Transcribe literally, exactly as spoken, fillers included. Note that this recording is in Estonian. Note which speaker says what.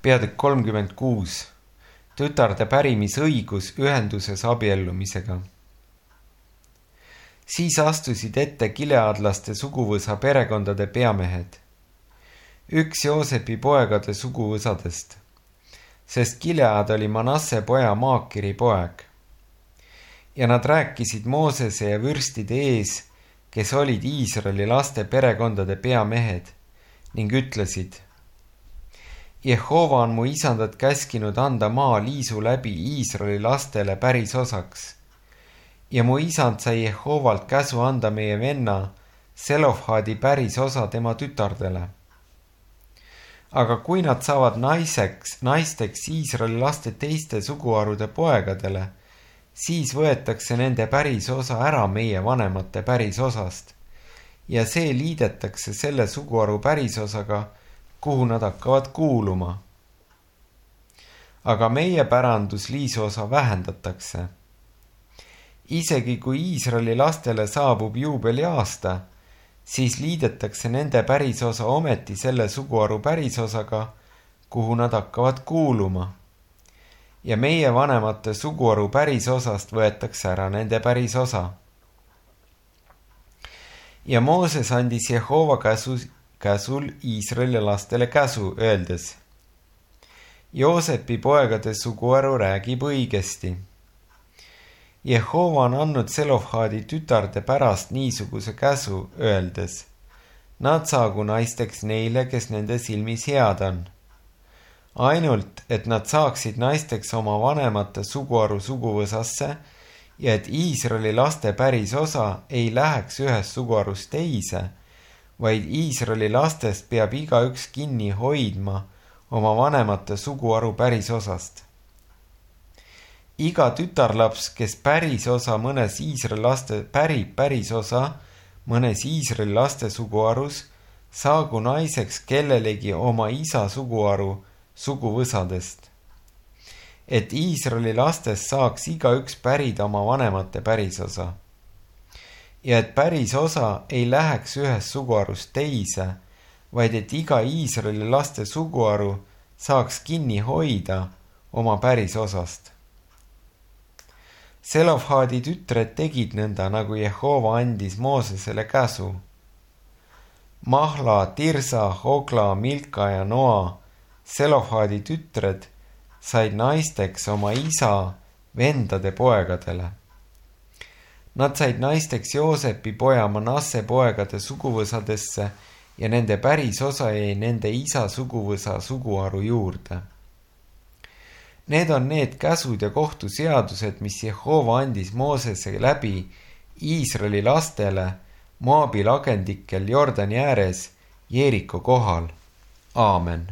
Speaker 1: peatükk kolmkümmend kuus. Tütarde pärimisõigus ühenduses abiellumisega. Siis astusid ette Gileadlaste suguvõsa perekondade peamehed. Üks Joosepi poegade suguvõsadest, sest Gilead oli Manasse poja Maakiri poeg. Ja nad rääkisid Moosese ja vürstide ees, kes olid Iisraeli laste perekondade peamehed, ning ütlesid: Jehova on mu isandat käskinud anda maa liisu läbi Iisraeli lastele päris osaks. Ja mu isand sai Jehovalt käsu anda meie venna Selofhaadi päris osa tema tütardele. Aga kui nad saavad naiseks, naisteks Iisraeli laste teiste suguharude poegadele, siis võetakse nende päris osa ära meie vanemate päris osast ja see liidetakse selle suguharu päris osaga, kuhu nad hakkavad kuuluma. Aga meie pärandus liisosa vähendatakse. Isegi kui Iisraeli lastele saabub juubeli aasta, siis liidetakse nende pärisosa ometi selle suguharu pärisosaga, kuhu nad hakkavad kuuluma. Ja meie vanemate suguharu pärisosast võetakse ära nende pärisosa. Ja Mooses andis Jehova käsu, käsul Iisraeli lastele käsu, öeldes: Joosepi poegade suguharu räägib õigesti. Jehova on andnud Selofhaadi tütarde pärast niisuguse käsu, öeldes: Nad saagu naisteks neile, kes nende silmis head on. Ainult, et nad saaksid naisteks oma vanemate suguharu suguvõsasse ja et Iisraeli laste päris osa ei läheks ühest suguharust teise, vaid Iisraeli lastest peab igaüks kinni hoidma oma vanemate suguharu päris osast. Iga tütarlaps, kes päris osa mõnes Iisraeli laste pärib päris osa mõnes Iisraeli laste suguharus, saagu naiseks kellelegi oma isa suguharu suguvõsadest. Et Iisraeli lastest saaks igaüks pärida oma vanemate päris osa. Ja et päris osa ei läheks ühest suguharust teise, vaid et iga Iisraeli laste suguharu saaks kinni hoida oma päris osast. Selofhaadi tütred tegid nõnda, nagu Jehova andis Moosesele käsu. Mahla, Tirsa, Hogla, Milka ja Noa, Selofhaadi tütred, said naisteks oma isa vendade poegadele. Nad said naisteks Joosepi poja Manasse poegade suguvõsadesse ja nende päris osa jäi nende isa suguvõsa suguharu juurde. Need on need käsud ja kohtuseadused, mis Jehova andis Moosese läbi Iisraeli lastele Moabi lagendikel Jordani ääres Jeeriko kohal. Aamen.